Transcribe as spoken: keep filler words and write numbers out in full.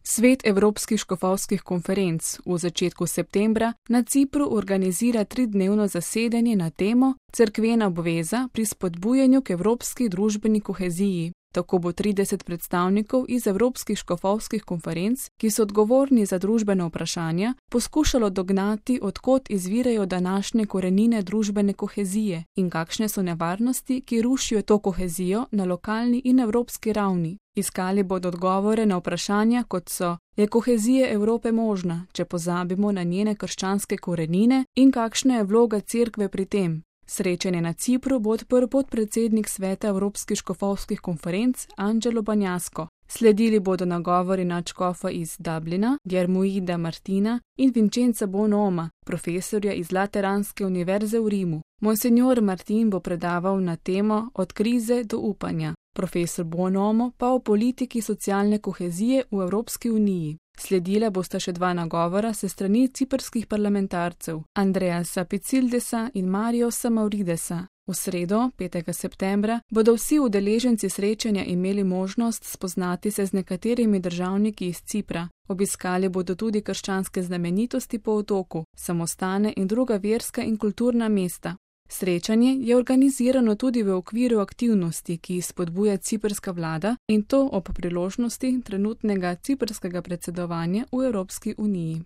Svet evropskih škofovskih konferenc v začetku septembra na Cipru organizira tridnevno zasedanje na temo Cerkvena obveza pri spodbujanju k evropski družbeni koheziji. Tako bo trideset predstavnikov iz evropskih škofovskih konferenc, ki so odgovorni za družbena vprašanja, poskušalo dognati, od kod izvirajo današnje korenine družbene kohezije in kakšne so nevarnosti, ki rušijo to kohezijo na lokalni in evropski ravni. Iskali bodo odgovore na vprašanja, kot so: je kohezija Evrope možna, če pozabimo na njene krščanske korenine, in kakšna je vloga Cerkve pri tem? Srečanje na Cipru bo odprl podpredsednik Sveta evropskih škofovskih konferenc Angelo Banjasko. Sledili bodo nagovori nadškofa iz Dublina, Germuida Martina in Vincenza Bonoma, profesorja iz Lateranske univerze v Rimu. Monsignor Martin bo predaval na temo Od krize do upanja, profesor Bonomo pa o politiki socialne kohezije v Evropski uniji. Sledila bosta še dva nagovora se strani ciprskih parlamentarcev, Andreasa Picildesa in Mariosa Mauridesa. V sredo, petega septembra, bodo vsi udeleženci srečanja imeli možnost spoznati se z nekaterimi državniki iz Cipra. Obiskali bodo tudi krščanske znamenitosti po otoku, samostane in druga verska in kulturna mesta. Srečanje je organizirano tudi v okviru aktivnosti, ki jih spodbuja ciprska vlada, in to ob priložnosti trenutnega ciprskega predsedovanja v Evropski uniji.